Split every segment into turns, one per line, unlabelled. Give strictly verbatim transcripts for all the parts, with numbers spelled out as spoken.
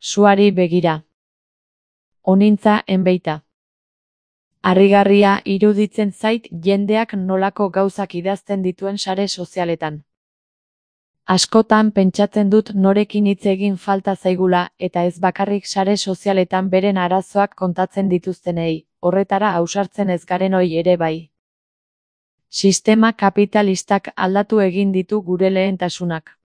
Suari begira. Onintza enbeita. Harrigarria iruditzen zait jendeak nolako gauzak idazten dituen sare sozialetan. Askotan pentsatzen dut norekin hitz egin falta zaigula eta ez bakarrik sare sozialetan beren arazoak kontatzen dituztenei, horretara ausartzen ez garenoi ere bai. Sistema kapitalistak aldatu egin ditu gure lehentasunak.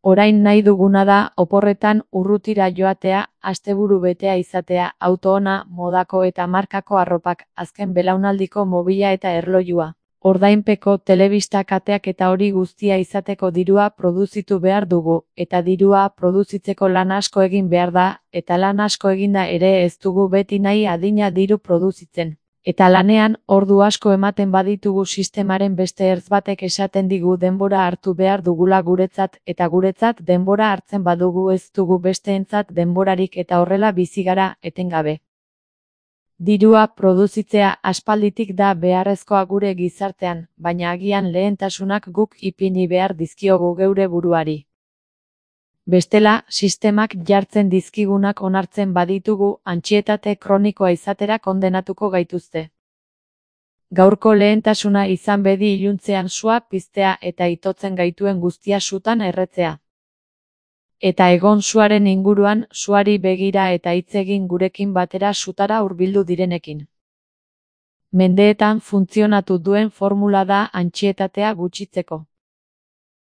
Orain nahi duguna da oporretan urrutira joatea, asteburu betea izatea, auto ona, modako eta markako arropak, azken belaunaldiko mobila eta erlojua, ordainpeko telebista kateak eta hori guztia izateko dirua produzitu behar dugu, eta dirua produzitzeko lan asko egin behar da, eta lan asko eginda ere ez dugu beti nahi adina diru produzitzen. Eta lanean, ordu asko ematen baditugu sistemaren beste ertz batek esaten digu denbora hartu behar dugula guretzat, eta guretzat denbora hartzen badugu ez dugu besteentzat denborarik eta horrela bizi gara etengabe. Dirua produzitzea aspalditik da beharrezkoa gure gizartean, baina agian lehentasunak guk ipini behar dizkiogu geure buruari. Bestela, sistemak jartzen dizkigunak onartzen baditugu, antsietate kronikoa izatera kondenatuko gaituzte. Gaurko lehentasuna izan bedi iluntzean sua piztea eta itotzen gaituen guztia sutan erretzea. Eta egon suaren inguruan, suari begira eta hitz egin gurekin batera sutara hurbildu direnekin. Mendeetan funtzionatu duen formula da antsietatea gutxitzeko.